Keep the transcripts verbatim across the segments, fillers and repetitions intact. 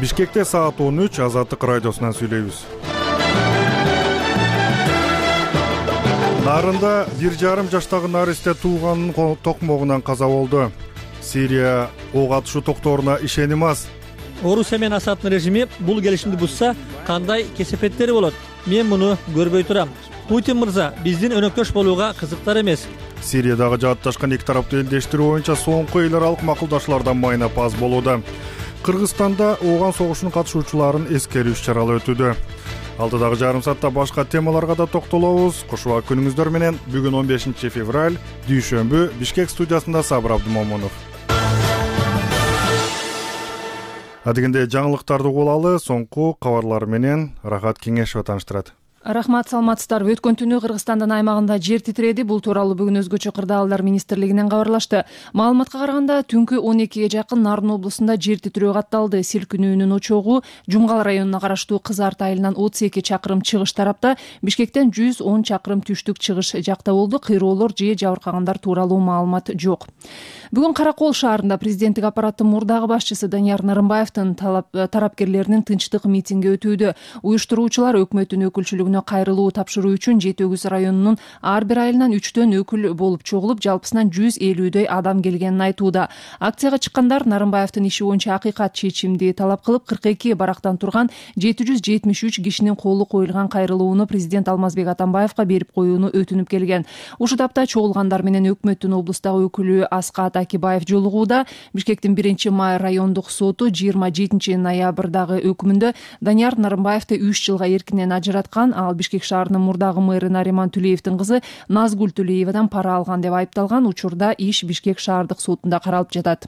Бишкекте саат он үч Азаттык радиосунан сүйлөйбүз. Нарында бир жарым жаштагы наристе тууганын токмогунан каза болду. Сирия ок атышуу токтооруна ишеним аз. Орусия менен Асаддын режими бул келишимди бузса кандай кесепеттери болот? Мен муну көрбөй турам. Путин мырза биздин өнөктөш болууга кызыктар эмес. Сириядагы жаатташкан эки тараптуу элдештирүү боюнча соңку эл аралык макулдашуулардан майнап аз болууда. Кыргызстанда ооган согушунун катышуучуларын эскерүү иш-чаралары өтүүдө. Алдыдагы жарым саатта башка темаларга да токтолобуз. Кушуа күнүңүздөр менен бүгүн он бешинчи февраль, дүйшөмбү, Бишкек студиясында Сабыр Абдымомунов. Адегенде жаңылыктарды угулалы, соңку кабарлар менен Рахат Кеңешова тааныштырат. Рахмат, саламатсыздарбы. Өткөн түнү Кыргызстандын аймагында жер титиреди. Бул тууралуу бүгүн өзгөчө кырдаалдар министрлигинен кабарлашты. Маалыматка караганда түнкү он экиге жакын Нарын облусунда жер титирөө катталды. Силкинүүнүн очогу Жумгал районуна караштуу Кыз Арт айылынан отуз эки чакырым чыгыш тарапта, Бишкектен жүз он чакырым түштүк чыгыш жакта болду. Кыйроолор же жабыркагандар тууралуу маалымат жок. Бүгүн Каракол шаарында президенттик аппараттын мурдагы башчысы Данияр Нарымбаевдин тарапкерлеринин тынчтык митинги өтүүдө. Уюштуруучулар өкмөттүн өкүлчүлүгүнө кайрылуу тапшыруу үчүн Жети Өгүз районунун ар бир айылынан үчтөн өкүл болуп чогулуп, жалпысынан жүз элүүдөй адам келгенин айтууда. Акцияга чыккандар Нарымбаевдин иши боюнча акыйкат чечимди талап кылып, кырк эки барактан турган жети жүз жетимиш үч кишинин колу коюлган кайрылууну президент Алмазбек Атамбаевга берип коюуну өтүнүп келген. Ушул тапта чогулгандар менен өкмөттүн облустагы өкүлү Аскат Акибаев жолугууда. Бишкектин биринчи май райондук соту жыйырма жетинчи ноябрдагы өкүмүндө Данияр Нарымбаевди үч жылга эркинен ажыраткан. Ал Бишкек шаарынын мурдагы мэрі Нариман Түлеевдин кызы Назгүл Түлеевадан пара алган деп айыпталган. Учурда иш Бишкек шаардык сотунда каралып жатат.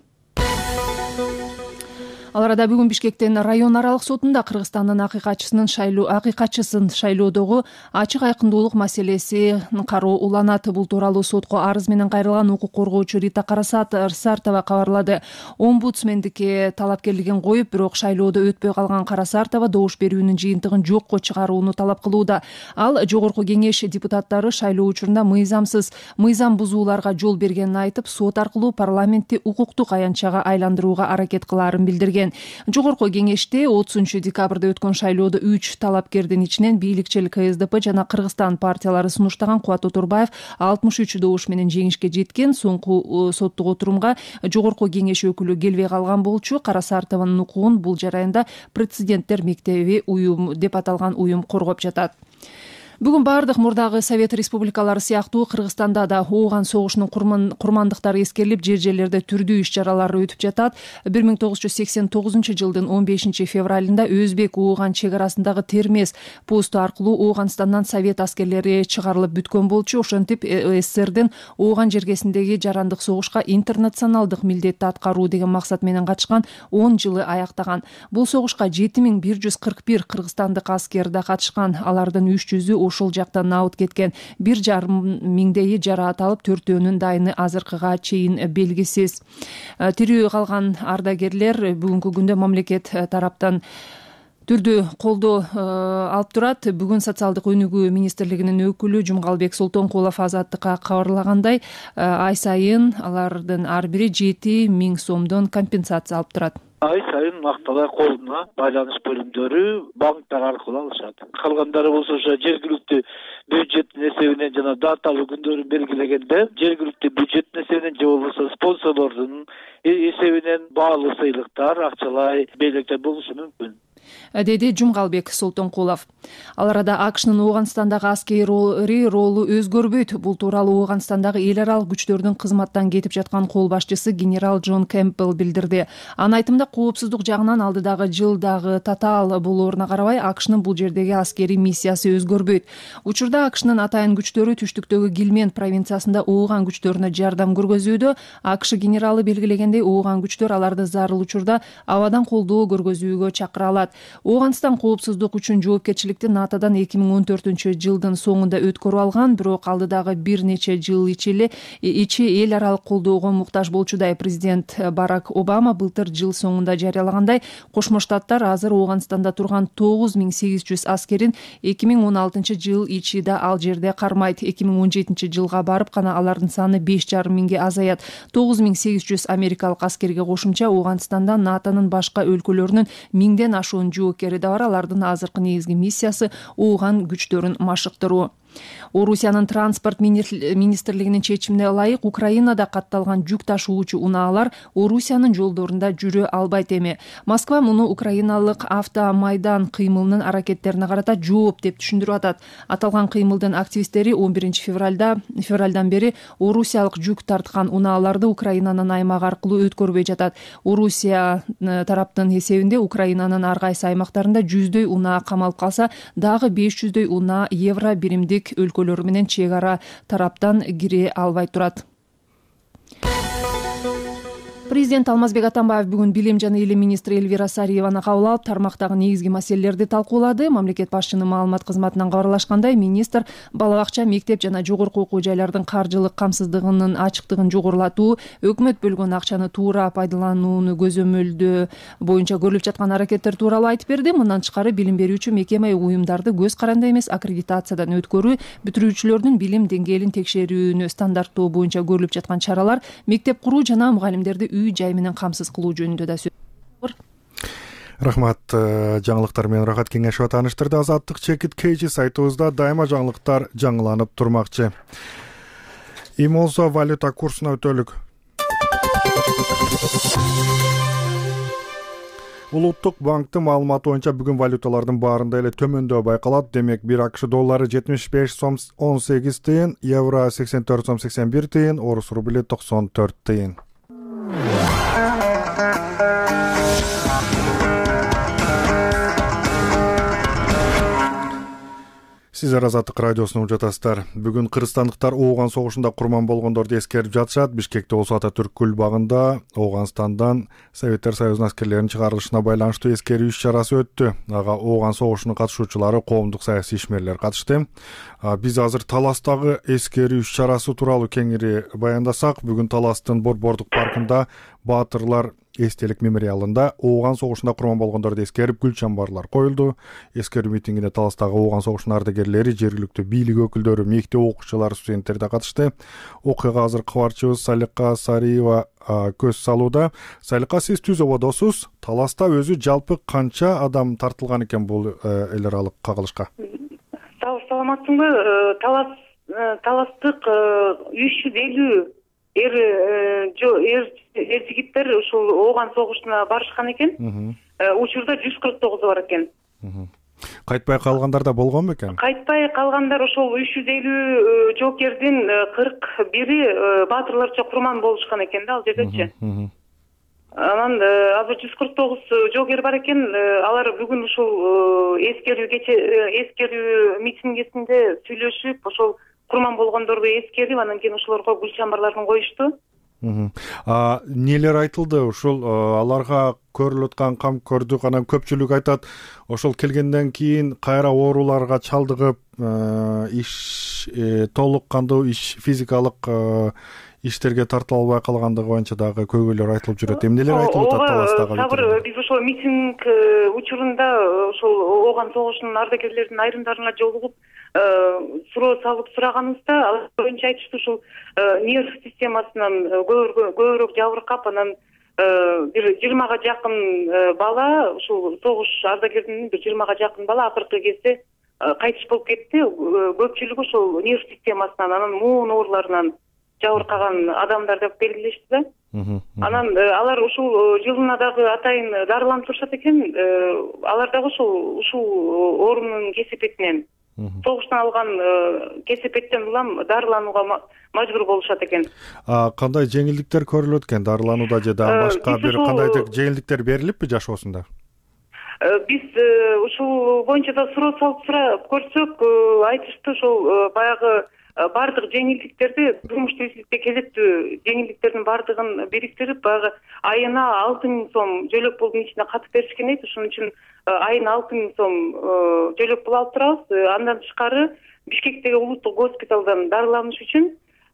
Ал арада бүгүн Бишкектен район аралык сотунда Кыргызстандын акыйкатчысынын шайлоо акыйкатчысын шайлоодогу ачык айкындуулук маселеси кароо уланат. Бул тууралуу сотко арыз менен кайрылган укук коргоочу Рита Карасартова кабарлады. Омбудсмендикке талапкерлигин коюп, бирок шайлоодо өтпөй калган Карасартова добуш берүүнүн жыйынтыгын жокко чыгарууну талап кылууда. Ал жогорку кеңеш депутаттары шайлоо учурунда мыйзамсыз, мыйзам бузууларга жол бергенин айтып, сот аркылуу парламентти укуктук аянтчага айландырууга аракет кылаарын билдирген. Жогорку кеңеште отузунчу декабрда өткөн шайлоодо үч талапкердин ичинен бийликчил Ка Эс Д П жана Кыргызстан партиялары сунуштаган Кубат Отурбаев алтымыш үч добуш менен жеңишке жеткен. Соңку соттук отурумга жогорку кеңеш өкүлү келбей калган болчу. Карасартованын укугун бул жараянда Президенттер мектеби уюм деп аталган уюм коргоп жатат. Бүгүн бардык мурдагы Совет республикалары сыяктуу Кыргызстанда да ооган согушунун курмандыктары эскерилип, жер жерлерде түрдүү иш-чаралар өтүп жатат. бир миң тогуз жүз сексен тогузунчу жылдын он бешинчи февралында Өзбек ооган чек арасындагы Термез посту аркылуу Ооганстандан Совет аскерлери чыгарылып бүткөн болчу. Ошентип С С С Рдин ооган жергесиндеги жарандык согушка интернационалдык милдетти аткаруу деген максат менен катышкан он жылы аяктаган. Бул согушка жети миң бир жүз кырк бир кыргызстандык аскер да катышкан. Алардын үч жүзү ошол жактан абыт кеткен. Бир жарым миңдейи жараат алып, төртөөнүн дайыны азыркыга чейин белгисиз. Тирүү калган ардагерлер бүгүнкү күндө мамлекет тараптан түрдүү колдоо алып турат. Бүгүн социалдык өнүгүү министрлигинин өкүлү Жумгалбек Солтонкулов Азаттыкка кабарлагандай, ай сайын алардын ар бири жети миң сомдон компенсация алып турат. Ай сайын акталар колуна байланыш бөлүмдөрү банктар аркылуу алышат. Калгандары болсо ошо жергиликтүү бюджеттин эсебинен жана даталуу күндөрүн белгилегенде жергиликтүү бюджеттин эсебинен же болбосо спонсорлордун эсебинен баалуу сыйлыктар, акчалай белектер болушу мүмкүн, деди Жумгалбек Солтонкулов. Ал арада А К Шнын Ооганстандагы аскери ролу өзгөрбөйт. Бул тууралуу Ооганстандагы эл аралык күчтөрдүн кызматтан кетип жаткан кол башчысы генерал Джон Кэмпбелл билдирди. Анын айтымында, коопсуздук жагынан алдыдагы жылдагы татаал болооруна карабай, А К Шнын бул жердеги аскерий миссиясы өзгөрбөйт. Учурда А К Шнын атайын күчтөрү түштүктөгү Гилмент провинциясында ооган күчтөрүнө жардам көргөзүүдө. А К Ш генералы белгилегендей, ооган күчтөр аларды зарыл учурда абадан колдоо көргөзүүгө чакыра алат. Ооганстан коопсуздук үчүн жоопкерчиликти натодан эки миң он төртүнчү жылдын соңунда өткөрүп алган, бирок алдыдагы бир нече жыл ичи ичи эл аралык колдоого муктаж болчудай. Президент Барак Обама былтыр жыл соңунда жарыялагандай, Кошмо Штаттар азыр Ооганстанда турган тогуз миң сегиз жүз аскерин эки миң он алтынчы жыл ичида ал жерде кармайт. эки миң он жетинчи жылга барып гана алардын саны беш жарым миңге азаят. тогуз миң сегиз жүз америкалык аскерге кошумча Ооганстанда натонун башка өлкөлөрүнүн миңден ашуун жоокери да бар. Алардын азыркы негизги миссиясы Ооган күчтөрүн машыктыруу. Орусиянын транспорт министрлигинин чечимине ылайык Украинада катталган жүк ташуучу унаалар Орусиянын жолдорунда жүрө албайт эми. Москва муну украиналык автомайдан кыймылынын аракеттерине карата жооп деп түшүндүрүп атат. Аталган кыймылдын активисттери он биринчи февралда февралдан бери орусиялык жүк тарткан унааларды Украинанын аймагы аркылуу өткөрбөй жатат. Орусия тараптын эсебинде Украинанын ар кайсы аймактарында жүздөй унаа камалып калса, дагы беш жүздөй унаа евро биримдик өлкөлөр менен чек ара тараптан кире албай турат. Президент Алмазбек Атамбаев бүгүн билим жана илим министри Элвира Сариеваны кабыл алып, тармактагы негизги маселелерди талкуулады. Мамлекет башчынын маалымат кызматынан кабарлашкандай, министр бала бакча, мектеп жана жогорку окуу жайлардын каржылык камсыздыгынын ачыктыгын жогорулатуу, өкмөт бөлгөн акчаны туура пайдаланууну көзөмөлдөө боюнча көрүлүп жаткан аракеттер тууралуу айтып берди. Мындан тышкары билим берүүчү мекеме уюмдарды көз каранды эмес аккредитациядан өткөрүү, бүтүрүүчүлөрдүн билим деңгээлин текшерүүнү стандарттоо боюнча көрүлүп жаткан чаралар, мектеп куруу жана мугалимдерди үй жай менен камсыз кылуу жөнүндө да сөз бар. Рахмат. Жаңылыктар менен Рахат Кеңешова тааныштырды. Азаттык чекит кейжи сайтыбызда дайыма жаңылыктар жаңыланып турмакчы. Эми болсо валюта курсуна өтөлүк. Улуттук банктын маалыматы боюнча бүгүн валюталардын баарында эле төмөндөө байкалат. Демек, бир АКШ доллары жетимиш беш сом он сегиз тыйын, евро сексен төрт сом сексен бир тыйын, орус рубли токсон төрт тыйын. Сиздер Азаттык радиосун угуп жатасыздар. Бүгүн кыргызстандыктар Ооган согушунда курман болгондорду эскерип жатышат. Бишкекте болсо Ататүрк күл багында Ооганстандан Советтер Союзунун аскерлеринин чыгарылышына байланыштуу эскерүү иш-чарасы өттү. Ага Ооган согушунун катышуучулары, коомдук саясий ишмерлер катышты. Биз азыр Таластагы эскерүү иш-чарасы тууралуу кеңири баяндасак, бүгүн Таластын Борбордук паркында Баатырлар эстелик мемориалында Ооган согушунда курман болгондорду эскерип гүл чамбарлар коюлду. Эскерүү митингине Таластагы Ооган согушунун ардагерлери, жергиликтүү бийлик өкүлдөрү, мектеп окуучулары, студенттер да катышты. Окуяга азыр кабарчыбыз Салика Сариева көз салууда. Салика, сиз түз ободосуз. Таласта өзү жалпы канча адам тартылган экен бул эл аралык кагылышка? Саламатсыңбы? Талас Таластык үч жүз элүү эр эр жигиттер ушул Ооган согушуна барышкан экен. Учурда жүз кырк тогузу бар экен. Кайтпай калгандар да болгон бекен? Кайтпай калгандар ошол үч жүз элүү жоокердин кырк бири баатырларча курман болушкан экен да ал жердечи. Анан азыр жүз кырк тогуз жоокер бар экен. Алар бүгүн ушул эскерүү кече эскерүү митингисинде сүйлөшүп, ошол курман болгондорду эскерип, анан кийин ошолорго гүл чамбарларын коюшту. Нелер айтылды? Ушул аларга көрүлүп аткан кам көрдүк, анан көпчүлүк айтат, ошол келгенден кийин кайра ооруларга чалдыгып, иш толук кандуу иш физикалык иштерге тарта албай калгандыгы боюнча дагы көйгөйлөр айтылып жүрөт. Эмнелер айтылып атат Таластагы? Сабыр, биз ошол митинг учурунда ошол Ооган согушунун ардагерлеринин айрымдарына жолугуп суроо салып сураганыбызда, ал боюнча айтышты, ушул нерв системасынан көбүрөөк жабыркап, анан бир жыйырмага жакын бала, ушул согуш ардагеринин бир жыйырмага жакын бала акыркы кезде кайтыш болуп кетти. Көпчүлүгү ошол нерв системасынан, анан муун ооруларынан жабыркаган адамдар деп белгилешти да. Анан алар ушул жылына дагы атайын дарыланып турушат экен. Алар дагы ушул ушул оорунун кесепетинен, согуштан алган кесепеттен улам дарыланууга мажбур болушат экен. Кандай жеңилдиктер көрүлөт экен дарыланууда же дагы башка бир кандайдыр жеңилдиктер берилиппи жашоосунда? Биз ушул боюнча да суроо салып сурап көрсөк, айтышты, ошол баягы баардык жеңилдиктерди, турмуш тиричиликте кезектүү жеңилдиктердин баардыгын бириктирип, баягы айына алты миң сом жөлөк пулдун ичине катып беришкен эди. Ошон үчүн айына алты миң сом жөлөк пул алып турабыз. Андан тышкары Бишкектеги улуттук госпиталдан дарыланыш үчүн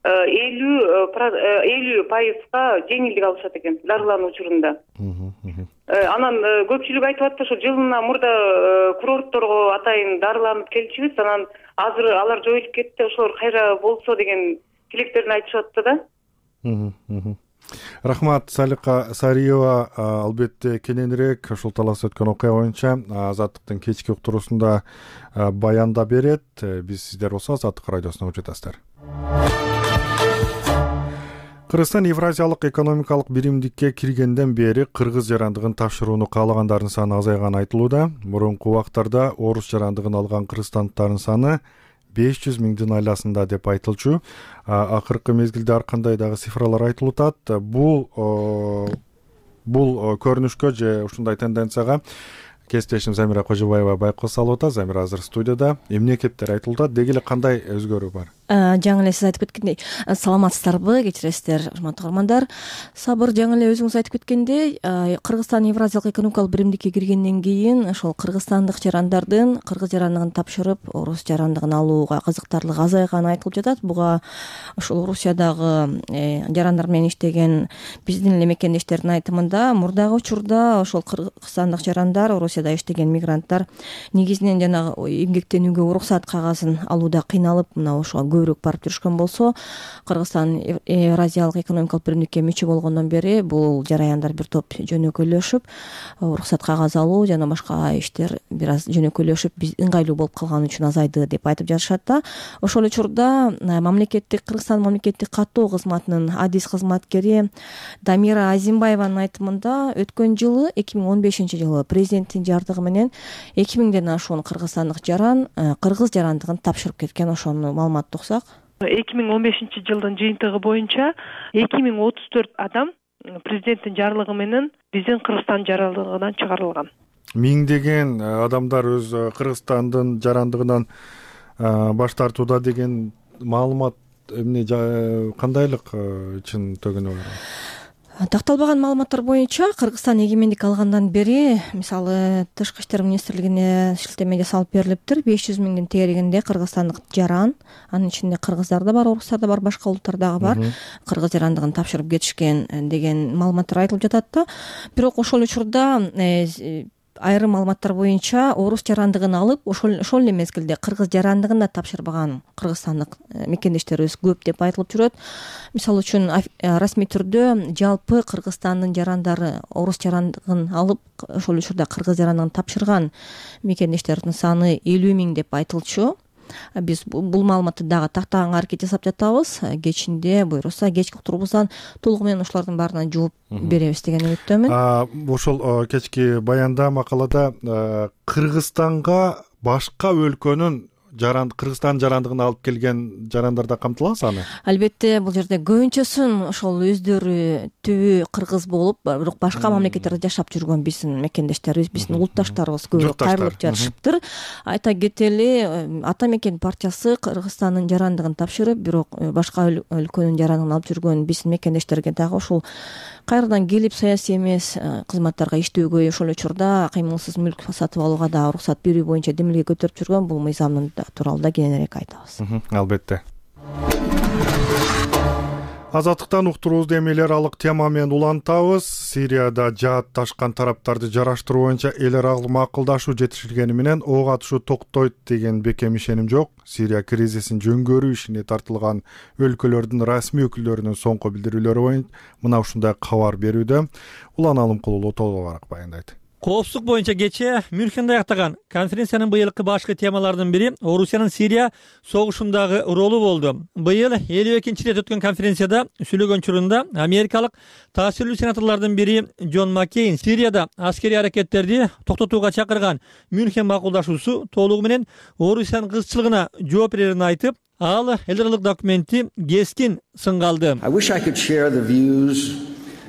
элүү пайызга жеңилдик алышат экен дарылануу учурунда. Анан көпчүлүк айтып атты, ошо жылына мурда курортторго атайын дарыланып келчүбүз, анан азыр алар жоюлуп кетти, ошолор кайра болсо деген тилектерин айтышып атты да. Рахмат, Салика Сариева. Албетте кененирээк ушул талас өткөн окуя боюнча Азаттыктын кечки уктуруусунда баянда берет. Биз сиздер болсо Азаттык радиосуна угуп жатасыздар. Кыргызстан Евразиялык экономикалык биримдикке киргенден бери кыргыз жарандыгын тапшырууну каалагандардын саны азайганы айтылууда. Мурунку убактарда орус жарандыгын алган кыргызстандыктардын саны беш жүз миңдин айласында деп айтылчу. Акыркы мезгилде ар кандай дагы цифралар айтылып атат. Бул бул көрүнүшкө же ушундай тенденцияга кесиптешим Замира Кожобаева байкоо салып атат. Замира азыр студияда. Эмне кептер айтылып атат? Деги эле кандай өзгөрүү бар? Жаңы эле сиз айтып кеткендей, саламатсыздарбы, кечиресиздер, урматтуу көрөрмандар. Сабыр жаңы эле өзүңүз айтып кеткендей, Кыргызстан Евразиялык экономикалык биримдикке киргенден кийин ошол кыргызстандык жарандардын кыргыз жарандыгын тапшырып, орус жарандыгын алууга кызыктарлыгы азайганы айтылып жатат. Буга ошол Орусиядагы жарандар менен иштеген биздин эле мекендештердин айтымында, мурдагы учурда ошол кыргызстандык жарандар, Орусияда иштеген мигранттар негизинен жанагы эмгектенүүгө уруксат кагазын алууда кыйналып, мына ошого көбүрөөк барып жүрүшкөн болсо, Кыргызстан Евразиялык экономикалык биримдикке мүчө болгондон бери бул жараяндар бир топ жөнөкөйлөшүп, уруксат кагаз алуу жана башка иштер бир аз жөнөкөйлөшүп, биз ыңгайлуу болуп калган үчүн азайды деп айтып жатышат да. Ошол учурда мамлекеттик Кыргызстан мамлекеттик каттоо кызматынын адис кызматкери Дамира Азимбаеванын айтымында, өткөн жылы эки миң он бешинчи жылы президенттин жардыгы менен эки миңден ашуун кыргызстандык жаран кыргыз жарандыгын тапшырып кеткен. Ошону маалымат эки миң он бешинчи жылдын жыйынтыгы боюнча эки миң отуз төрт адам президенттин жарлыгы менен биздин Кыргызстан жарандыгынан чыгарылган. Миңдеген адамдар өз Кыргызстандын жарандыгынан баш тартууда деген маалымат эмне кандайлык чын төгүнү бар? Такталбаган маалыматтар боюнча Кыргызстан эгемендик алгандан бери, мисалы, Тышкы иштер министрлигине шилтеме жасалып берилиптир. беш жүз миңдин тегерегинде кыргызстандык жаран, анын ичинде кыргыздар да бар, орустар да бар, башка улуттар дагы бар, кыргыз жарандыгын тапшырып кетишкен деген маалыматтар айтылып жатат да. Бирок ошол учурда айрым маалыматтар боюнча орус жарандыгын алып, ошол ошол эле мезгилде кыргыз жарандыгын да тапшырбаган кыргызстандык мекендештерибиз көп деп айтылып жүрөт. Мисалы үчүн расмий түрдө жалпы Кыргызстандын жарандары орус жарандыгын алып, ошол учурда кыргыз жарандыгын тапшырган мекендештердин саны элүү миң деп айтылчу. Биз бул маалыматты дагы тактаганга аракет жасап жатабыз. Кечинде буйруса кечки уктуруубуздан толугу менен ошолордун баарына жооп беребиз деген үмүттөмүн. Ошол кечки баянда, макалада Кыргызстанга башка өлкөнүн жаран Кыргызстан жарандыгын алып келген жарандар да камтылган саны? Албетте, бул жерде көбүнчөсүн ошол өздөрү түбү кыргыз болуп, бирок башка мамлекеттерде жашап жүргөн биздин мекендештерибиз, биздин улутташтарыбыз көбүрөөк кайрылып жатышыптыр. Айта кетели, Ата мекен партиясы Кыргызстандын жарандыгын тапшырып, бирок башка өлкөнүн жарандыгын алып жүргөн биздин мекендештерге дагы ушул кайрадан келип саясий эмес кызматтарга иштөөгө, ошол учурда кыймылсыз мүлк сатып алууга да уруксат берүү боюнча демилге көтөрүп жүргөн бул мыйзамдын тууралуу да кененирээк айтабыз. Албетте. Азаттыктан уктуруубузду эмелер алык тема менен улантабыз. Сирияда жаатташкан тараптарды жараштыруу боюнча эл аралык макулдашуу жетишилгени менен ок атышуу токтойт деген бекем ишеним жок. Сирия кризисин жөнгөрүү ишине тартылган өлкөлөрдүн расмий өкүлдөрүнүн соңку билдирүүлөрү боюнча мына ушундай кабар берүүдө. Улан Алымкулуу толугураак баяндайт. Коопсуздук боюнча кечээ Мюнхенде аяктаган конференциянын быйылкы башкы темаларынын бири Орусиянын Сирия согушундагы ролу болду. Быйыл элүү экинчи рет өткөн конференцияда сүйлөгөн учурунда америкалык таасирлүү сенаторлордун бири Джон Маккейн Сирияда аскерий аракеттерди токтотууга чакырган Мюнхен макулдашуусу толугу менен Орусиянын кызчылыгына жооп берерин айтып, ал эл аралык документти кескин сынга алды.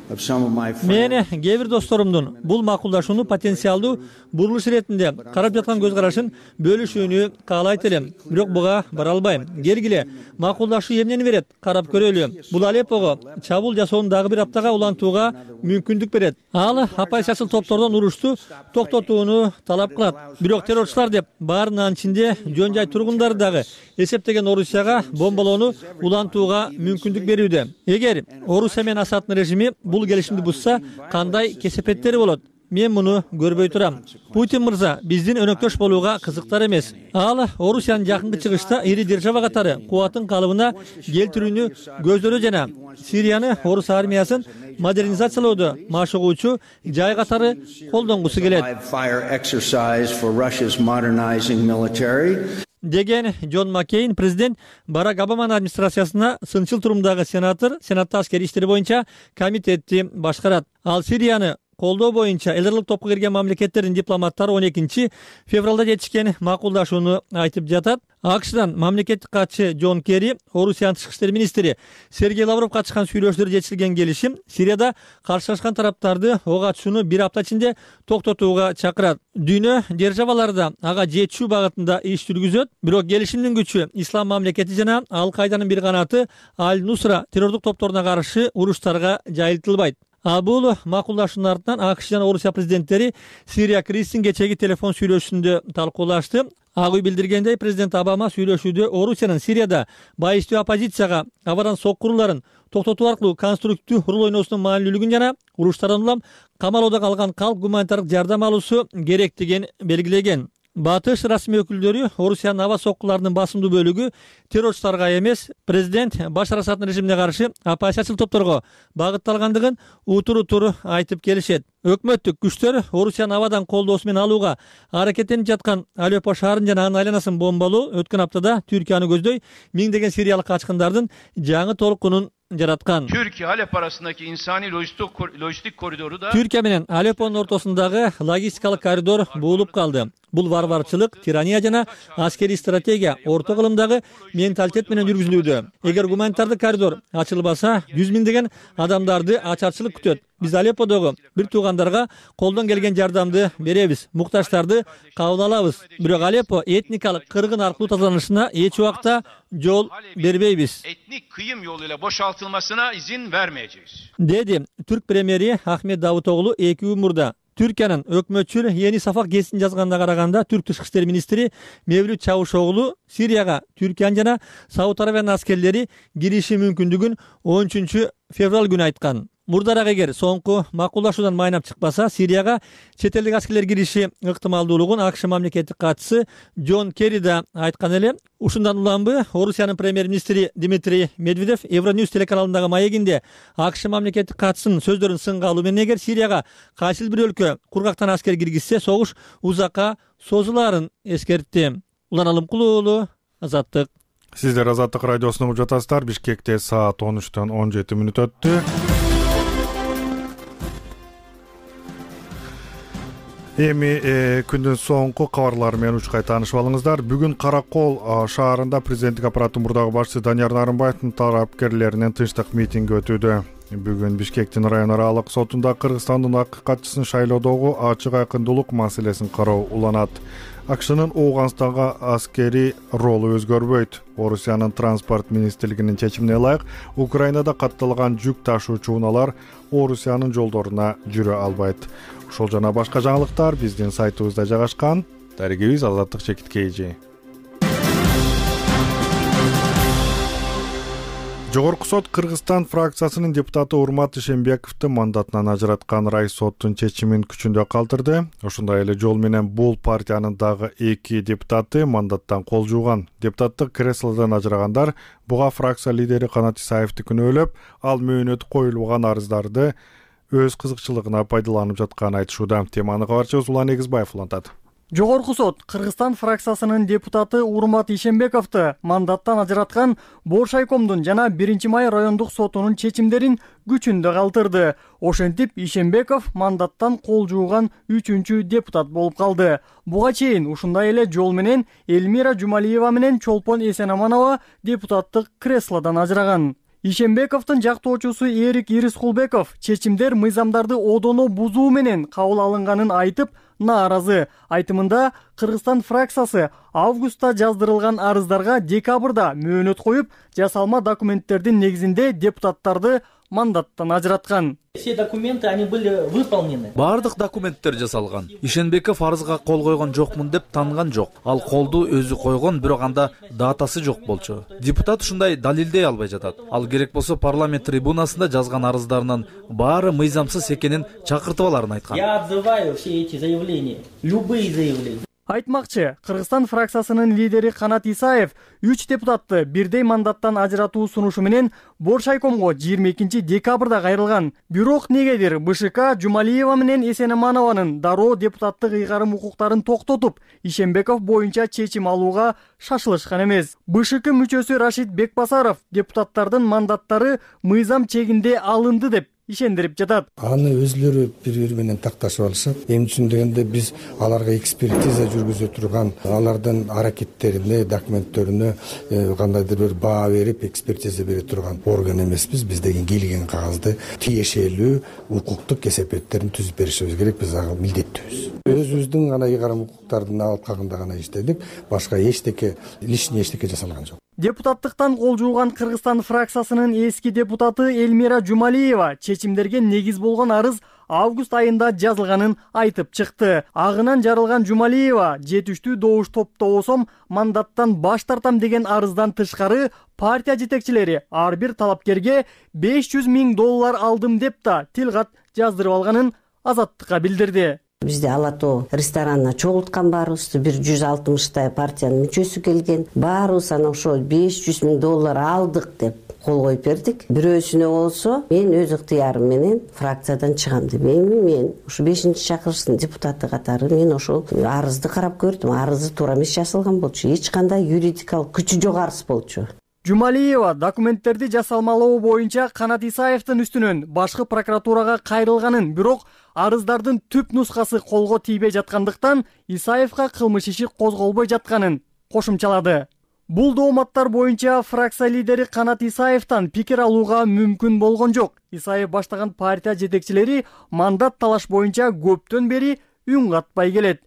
Мен кээ бир досторумдун бул макулдашууну потенциалдуу бурулуш иретинде карап жаткан көз карашын бөлүшүүнү каалайт элем, бирок буга бара албайм. Келгиле, макулдашуу эмнени берет? Карап көрөлү. Бул Алеппого чабуул жасоону дагы бир аптага улантууга мүмкүндүк берет. Ал оппозициячыл топтордон урушту токтотууну талап кылат. Бирок террорчулар деп баарынын ичинде жөн жай тургундары дагы эсептеген Орусияга бомбалоону улантууга мүмкүндүк берүүдө. Эгер Орусия менен Асаддын режими бул келишимди бузса, кандай кесепеттери болот? Мен муну көрбөй турам. Путин мырза биздин өнөктөш болууга кызыктар эмес. Ал Орусиянын жакынкы чыгышта ири держава катары кубатын калыбына келтирүүнү көздөрү жана Сирияны орус армиясын модернизациялоодо машыгуучу жай катары колдонгусу келет деген Джон Маккейн президент Барак Обаманын администрациясына сынчыл турумдагы сенатор, сенатта аскерий иштер боюнча комитетти башкарат. Ал Сирияны колдоо боюнча элдерлик топко кирген мамлекеттердин дипломаттары он экинчи февралда жетишкен макулдашууну айтып жатат. АКШдан мамлекеттик катчы Джон Керри, Орусиянын тышкы иштер министри Сергей Лавров катышкан сүйлөшүүлөр жетишилген келишим Сирияда каршылашкан тараптарды ок атышууну бир апта ичинде токтотууга чакырат. Дүйнө державалары да ага жетишүү багытында иш жүргүзөт, бирок келишимдин күчү Ислам мамлекети жана Ал-Кайданын бир канаты Аль-Нусра террордук топторуна каршы уруштарга жайылтылбайт. А бул макулдашуунун артынан АКШ жана Орусия президенттери Сирия кризисин кечеги телефон сүйлөшүүсүндө талкуулашты. Ак үй билдиргендей, президент Обама сүйлөшүүдө Орусиянын Сирияда байыстуу оппозицияга абадан соккуруларын токтотуу аркылуу конструктивдүү роль ойноосунун маанилүүлүгүн жана уруштардан улам камалоодо калган калк гуманитардык жардам алуусу керектигин белгилеген. Батыш расмий өкүлдөрү Орусиянын аба соккуларынын басымдуу бөлүгү террорчуларга эмес, президент Башар Асаддын режимине каршы оппозициячыл топторго багытталгандыгын утур-утур айтып келишет. Өкмөттүк күчтөр Орусиянын абадан колдоосу менен алууга аракеттенип жаткан Алеппо шаарын жана анын айланасын бомбалоо өткөн аптада Түркияны көздөй миңдеген сириялык качкындардын жаңы толкунун жараткан. Türkiye Halep arasındaki insani lojistik lojistik koridoru da Türkiye менен Алеппонун ортосундагы логистикалык коридор буулуп калды. Бул варварчылык, тирания жана аскерий стратегия орто кылымдагы менталитет менен жүргүзүлүүдө. Эгер гуманитардык коридор ачылбаса, жүз миңдеген адамдарды ачарчылык күтөт. Биз Алепподогу бир туугандарга колдон келген жардамды беребиз, муктаждарды кабыл алабыз. Бирок Алеппо этникалык кыргын аркылуу тазаланышына эч убакта жол бербейбиз. Etnik kıyım yoluyla boşaltılmasına izin vermeyeceğiz. Деди Түрк премьери Ахмет Давутоглу эки күн мурда. Түркиянын өкмөтчү Ени Сафак гезитин жазганына караганда, Түрк тышкы иштер министри Мевлют Чавушоглу Сирияга Түркиянын жана Сауд Арабиянын аскерлери кириши мүмкүндүгүн он үчүнчү февраль күнү айткан. Мурдараак эгер соңку макулдашуудан майнап чыкпаса, Сирияга чет элдик аскерлер кириши ыктымалдуулугун АКШ мамлекеттик катчысы Джон Керри да айткан эле. Ушундан уланбы Орусиянын премьер-министри Дмитрий Медведев Евроньюз телеканалындагы маегинде АКШ мамлекеттик катчысынын сөздөрүн сынга алуу менен эгер Сирияга кайсыл бир өлкө кургактан аскер киргизсе, согуш узакка созулаарын эскертти. Улан Алымкулуу уулу, Азаттык. Сиздер Азаттык радиосун угуп жатасыздар. Бишкекте саат он үчтөн он жети мүнөт өттү. Эми э, күндүн соңку кабарлары менен учкай таанышып алыңыздар. Бүгүн Каракол шаарында президенттик аппараттын мурдагы башчысы Данияр Нарымбаевдин тарапкерлеринен тынчтык митинги өтүүдө. Бүгүн Бишкектин район аралык сотунда Кыргызстандын акыйкатчысын шайлоодогу ачык айкындуулук маселесин кароо уланат. АКШнын Ооганстanga аскерий ролу өзгөрбөйт. Орусиянын транспорт министрлигинин чечимине ылайык Украинада катталган жүк ташуучу унаалар Орусиянын жолдоруна жүрө албайт. Ушул жана башка жаңылыктар биздин сайтыбызда жайгашкан. Дарегибиз Азаттык Чекиткейжи. Жогорку сот Кыргызстан фракциясынын депутаты Урмат Ишембековду мандатынан ажыраткан райс соттун чечимин күчүндө калтырды. Ошондой эле жол менен бул партиянын дагы эки депутаты мандаттан кол жууган. Депутаттык креслодон ажырагандар буга фракция лидери Канат Исаевди күнөөлөп, ал мөөнөтү коюлган арыздарды өз кызыкчылыгына пайдаланып жатканын айтышууда. Теманы кабарчыбыз Улан Эгизбаев улантат. Жогорку сот Кыргызстан фракциясынын депутаты Урмат Ишембековду мандаттан ажыраткан Боршайкомдун жана биринчи май райондук сотунун чечимдерин күчүндө калтырды. Ошентип Ишембеков мандаттан кол жууган үчүнчү депутат болуп калды. Буга чейин ушундай эле жол менен Элмира Жумалиева менен Чолпон Эсенаманова депутаттык креслодон ажыраган. Ишенбековдун жактоочусу Эрик Ирискулбеков чечимдер мыйзамдарды одоно бузуу менен кабыл алынганын айтып нааразы. Айтымында Кыргызстан фракциясы августта жаздырылган арыздарга декабрда мөөнөт коюп, жасалма документтердин негизинде депутаттарды мандаттан ажыраткан. Все документы, они были выполнены. Бардык документтер жасалган. Ишенбеков арызга кол койгон жокмун деп таанган жок. Ал колду өзү койгон, бирок анда датасы жок болчу. Депутат ушундай далилдей албай жатат. Ал керек болсо парламент трибунасында жазган арыздарынын баары мыйзамсыз экенин чакыртып аларын айткан. Я отзываю все эти заявления, любые заявления. Айтмакчы, Кыргызстан фракциясынын лидери Канат Исаев үч депутатты бирдей мандаттан ажыратуу сунушу менен Боршайкомго жыйырма экинчи декабрда кайрылган. Бирок негедир БШК Жумалиева менен Эсенаманованын дароо депутаттык ыйгарым укуктарын токтотуп, Ишенбеков боюнча чечим алууга шашылышкан эмес. БШК мүчөсү Рашид Бекбасаров депутаттардын мандаттары мыйзам чегинде алынды деп ишендирип жатат. Аны өзлөрү бири-бири менен такташып алышат. Эми үчүн дегенде биз аларга экспертиза жүргүзө турган, алардын аракеттерине, документтерине кандайдыр бир баа берип, экспертиза бере турган орган эмеспиз. Биз деген келген кагазды тиешелүү укуктук эсепеттерин түзүп беришибиз керек. Биз ага милдеттүүбүз. Өзүбүздүн гана ыйгарым укуктардын алып калганда гана иштедик. Башка эчтеке, лишний эчтеке жасалган жок. Депутаттыктан кол жууган Кыргызстан фракциясынын эски депутаты Элмира Жумалиева чечимдерге негиз болгон арыз август айында жазылганын айтып чыкты. Агынан жарылган Жумалиева жетиштүү добуш топтобосом мандаттан баш тартам деген арыздан тышкары партия жетекчилери ар бир талапкерге беш жүз миң доллар алдым деп да тилгат жаздырып алганын Азаттыкка билдирди. Бизде Ала Тоо ресторанына чогулткан баарыбызды бир жүз алтымыштай партиянын мүчөсү келген. Баарыбыз анан ошо беш жүз миң доллар алдык деп кол коюп бердик. Бирөөсүнө болсо мен өз ыктыярым менен фракциядан чыгам деп. Эми мен ушу бешинчи чакырыштын депутаты катары мен ошол арызды карап көрдүм. Арызы туура эмес жазылган болчу. Эч кандай юридикалык күчү жок арыз болчу. Жумалиева документтерди жасалмалоо боюнча Канат Исаевдин үстүнөн башкы прокуратурага кайрылганын, бирок арыздардын түп нускасы колго тийбей жаткандыктан Исаевга кылмыш иши козголбой жатканын кошумчалады. Бул дооматтар боюнча фракция лидери Канат Исаевден пикир алууга мүмкүн болгон жок. Исаев баштаган партия жетекчилери мандат талаш боюнча көптөн бери үн катпай келет.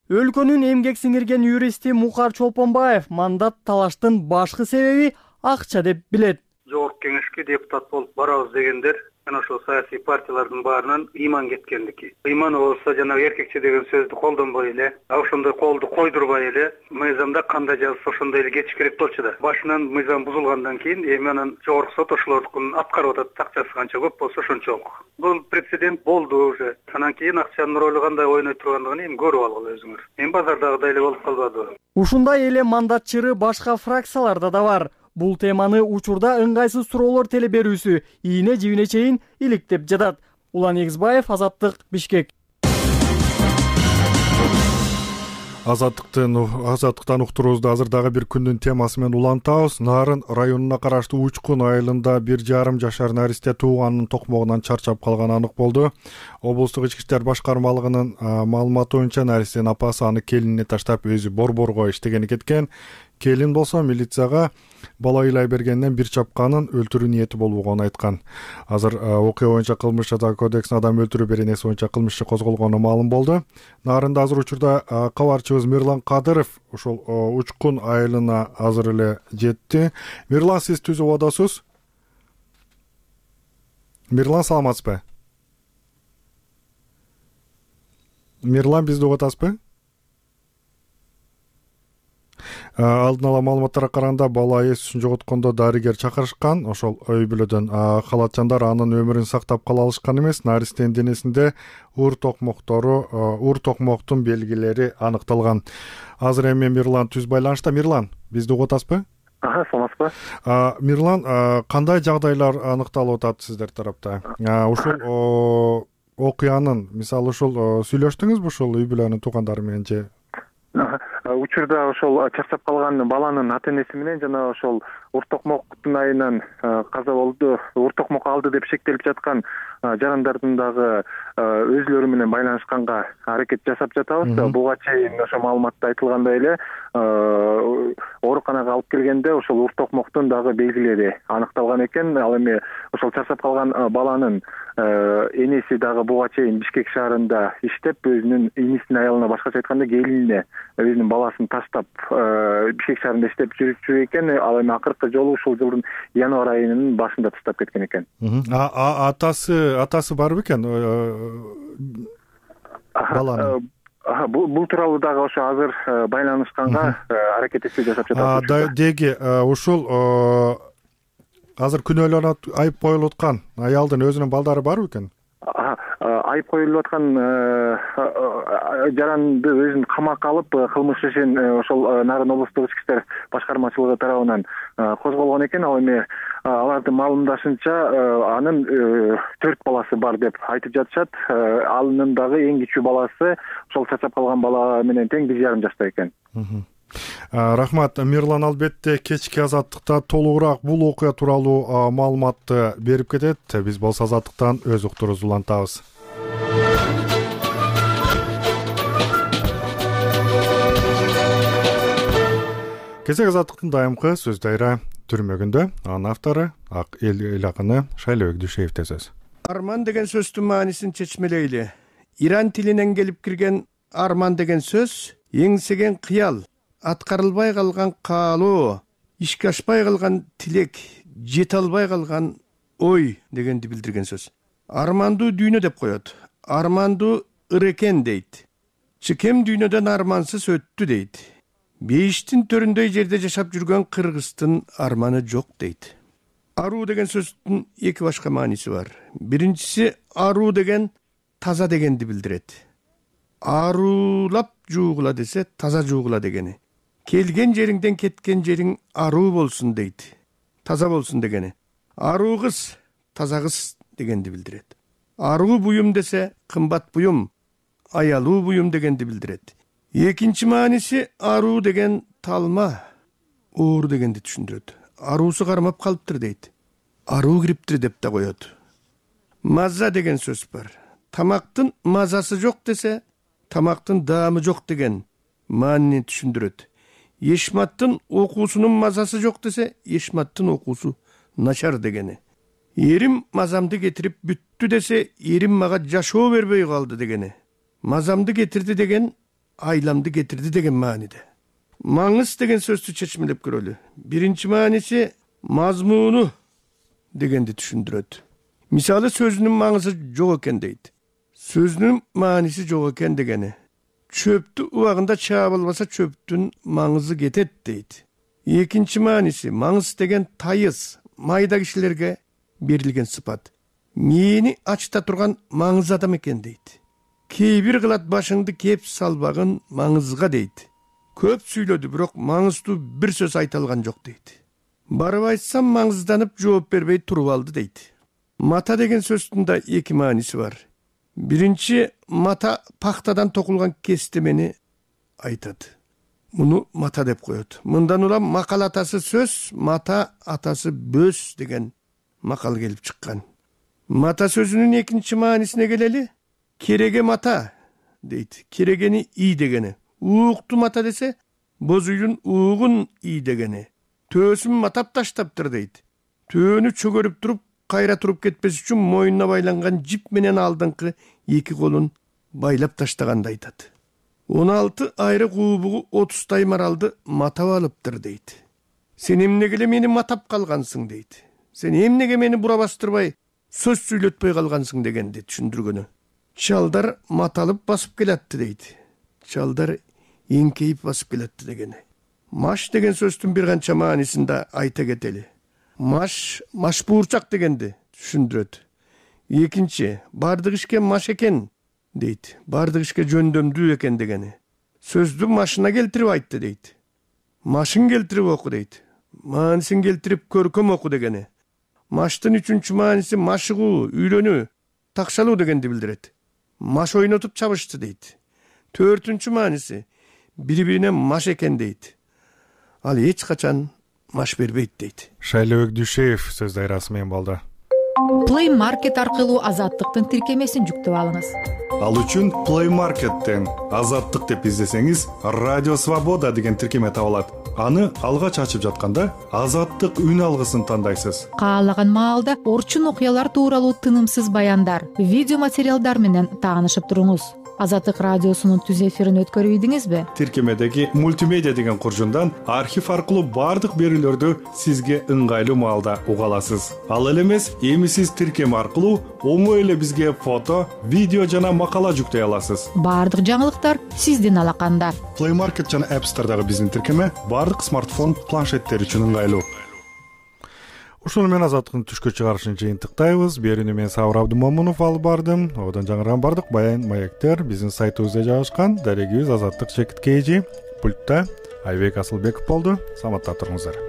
Өлкөнүн эмгек сиңирген юристи Мукар Чолпонбаев мандат талаштын башкы себеби акча деп билет. Жогорку кеңешке депутат болуп барабыз дегендер жана ошол саясий партиялардын баарынан ыйман кеткендики. Ыйман болсо жанагы эркекче деген сөздү колдонбой эле, ошондой колду койдурбай эле мыйзамда кандай жазылса ошондой эле кетиш керек болчу да. Башынан мыйзам бузулгандан кийин эми анан жогорку сот ошолордукун аткарып атат, акчасы канча көп болсо ошончолук. Бул прецедент болду уже. Анан кийин акчанын ролу кандай ойной тургандыгын эми көрүп алгыла өзүңөр. Эми базардагыдай эле болуп калбадыбы? Ушундай эле мандатчыры башка фракцияларда да бар. Бул теманы учурда ыңгайсыз суроолор теле берүүсү ийне жибине чейин иликтеп жатат. Улан Эгизбаев, Азаттык, Бишкек. Азаттыктан Азаттыктан уктуруубузду азыр дагы бир күндүн темасы менен улантабыз. Нарын районуна караштуу Учкун айылында бир жарым жашар наристе тууганынын токмогунан чарчап калганы анык болду. Облустук ички иштер башкармалыгынын маалыматы боюнча наристенин апасы аны келинине таштап өзү борборго иштегени кеткен. Келин болсо милицияга бала ыйлай бергенден бир чапканын өлтүрүү ниети болбогонун айткан. Азыр окуя боюнча кылмыш жаза кодексине адам өлтүрүү беренеси боюнча кылмыш иши козголгону маалым болду. Нарында азыр учурда кабарчыбыз Мирлан Кадыров ошол Учкун айылына азыр эле жетти. Мирлан, сиз түзүп атасыз? Мирлан, саламатсызбы? Мирлан, бизди угуп атасызбы? Алдын ала маалыматтарга караганда бала эсин жоготкондо дарыгер чакырышкан. Ошол үй бүлөдөн калачандар анын өмүрүн сактап кала алышкан эмес. Наристенин денесинде уур токмоктору, уур токмоктун белгилери аныкталган. Азыр эми Мирлан түз байланышта. Мирлан, бизди угуп атасызбы? Ага, саламатсызбы? Мирлан, кандай жагдайлар аныкталып атат сиздер тарапта? Ушул окуянын, мисалы ушул сүйлөштүңүзбү ушул үй бүлөнүн туугандары менен же? Учурда ошол чарчап калган баланын ата энеси менен жана ошол уур токмоктун айынан каза болду, уур токмок алды деп шектелип жаткан жарандардын дагы өзүлөрү менен байланышканга аракет жасап жатабыз. Буга чейин ошо маалыматта айтылгандай эле ооруканага алып келгенде ошол урт токмоктун дагы белгилери аныкталган экен. Ал эми ошол чарчап калган баланын энеси дагы буга чейин Бишкек шаарында иштеп, өзүнүн инисинин аялына, башкача айтканда келинине өзүнүн баласын таштап Бишкек шаарында иштеп жүрчү экен. Ал эми акыркы жолу ушул жылдын январь айынын башында таштап кеткен экен. Атасы атасы бар бекен баланын? Бул тууралуу дагы ошо азыр байланышканга аракетти жасап жатабыз. Деги ушул азыр күнөөлөнүп айып коюлуп аткан аялдын өзүнүн балдары барбы экен? Айып коюлуп аткан жаранды өзүн камакка алып, кылмыш ишин ошол Нарын облустук ички иштер башкармачылыгы тарабынан козголгон экен. Ал эми алардын маалымдашынча анын төрт баласы бар деп айтып жатышат. Анын дагы эң кичүү баласы ошол чачап калган бала менен тең бир жарым жашта экен. Рахмат. Мирлан албетте кечки Азаттыкта толугураак бул окуя тууралуу маалыматты берип кетет. Биз болсо Азаттыктан өз уктурубузду улантабыз. Кечек Азаттыктын дайымкы сөз дайра түрмөгүндө. Анын автору ак эл акыны Шайлообек Дүйшеевде сөз. Арман деген сөздүн маанисин чечмелейли. Иран тилинен келип кирген арман деген сөз эңсеген кыял, аткарылбай калган каалоо, ишке ашпай калган тилек, жете албай калган ой дегенди билдирген сөз. Армандуу дүйнө деп коет. Армандуу ырыкен дейт. Чыкем дүйнөдөн армансыз өттү дейт. Бейиштин төрүндөй жерде жашап жүргөн кыргыздын арманы жок дейт. Аруу деген сөздүн эки башка мааниси бар. Биринчиси аруу деген таза дегенди билдирет. Аруулап жуугула десе таза жуугула дегени. Келген жериңден кеткен жериң аруу болсун дейт. Таза болсун дегени. Аруу кыз, таза кыз дегенди билдирет. Аруу буюм десе кымбат буюм, аялуу буюм дегенди билдирет. Экинчи мааниси аруу деген талма, оор дегенди түшүндүрөт. Аруусу кармап калыптыр дейт. Аруу кириптир деп да коет. Маза деген сөз бар. Тамактын мазасы жок десе, тамактын даамы жок деген маанини түшүндүрөт. Эшматтын окуусунун мазасы жок десе, эшматтын окуусу начар дегени. Эрим мазамды кетирип бүттү десе, эрим мага жашоо бербей калды дегени. Мазамды кетирди деген айламды кетирди деген мааниде. Маңыз деген сөздү чечмелеп көрөлү. Биринчи мааниси мазмуну дегенди түшүндүрөт. Мисалы сөзүнүн маңызы жок экен дейт. Сөзүнүн мааниси жок экен дегени. Чөптү убагында чаап албаса чөптүн маңызы кетет дейт. Экинчи мааниси маңыз деген тайыз, майда кишилерге берилген сыпат. Мени ачта турган маңыз адам экен дейт. Кээ бир кылат башыңды кеп салбагын маңызга дейт. Көп сүйлөдү, бирок маңыздуу бир сөз айта алган жок дейт. Барып айтсам маңызданып жооп бербей туруп алды дейт. Мата деген сөздүн да эки мааниси бар. Биринчи мата пахтадан токулган кестемени айтат. Муну мата деп коет. Мындан улам макал атасы сөз, мата атасы бөз деген макал келип чыккан. Мата сөзүнүн экинчи маанисине келели. Кереге мата дейт. Керегени ий дегени. Уукту мата десе, боз үйдүн уугун ий дегени. Төөсүн матап таштаптыр дейт. Төөнү чөгөрүп туруп, кайра туруп кетпес үчүн мойнуна байланган жип менен алдыңкы эки колун байлап таштаганды айтат. он алты айрык уубугу отуздай маралды матап алыптыр дейт. Сен эмнеге эле мени матап калгансың дейт. Сен эмнеге мени бура бастырбай, сөз сүйлөтпөй калгансың дегенди түшүндүргөнү. Чалдар маталып басып келатты дейт. Чалдар эңкейип басып келатты дегени. Маш деген сөздүн бир канча маанисин да айта кетели. Маш, маш буурчак дегенди түшүндүрөт. Экинчи, бардык ишке маш экен дейт. Бардык ишке жөндөмдүү экен дегени. Сөздү машына келтирип айтты дейт. Машын келтирип оку дейт. Маанисин келтирип көркөм оку дегени. Маштын үчүнчү мааниси машыгуу, үйлөнүү, такшалуу дегенди билдирет. Маш ойнотуп чабышты дейт. Төртүнчү мааниси бири-бирине маш экен дейт. Ал эч качан маш бербейт дейт. Шайлообек Дүйшеев сөз дайрасы менен болду. Play Market аркылуу Азаттыктын тиркемесин жүктөп алыңыз. Ал үчүн Play Market'тен Азаттык деп издесеңиз Радио Свобода деген тиркеме табылат. Аны алгач ачып жатканда Азаттык үн алгысын тандайсыз. Каалаган маалда орчун окуялар тууралуу тынымсыз баяндар, видео материалдар менен таанышып туруңуз. Азаттык радиосунун түз эфирин өткөрүп ийдиңизби? Тиркемедеги мультимедиа деген куржундан архив аркылуу бардык берүүлөрдү сизге ыңгайлуу маалда уга аласыз. Ал эле эмес, эми сиз тиркеме аркылуу оңой эле бизге фото, видео жана макала жүктөй аласыз. Бардык жаңылыктар сиздин алаканда. Play Market жана App Store'дагы биздин тиркеме бардык смартфон, планшеттер үчүн ыңгайлуу. Ушуну менен Азаттыктын түшкө чыгарышын жыйынтыктайбыз. Берүүнү мен Сабыр Абдымомунов алып бардым. Одан жаңырган бардык баян маектер биздин сайтыбызда жайгашкан. Дарегибиз Азаттык Чекит Кээжи. Пультта Айбек Асылбеков болду. Саламатта туруңуздар.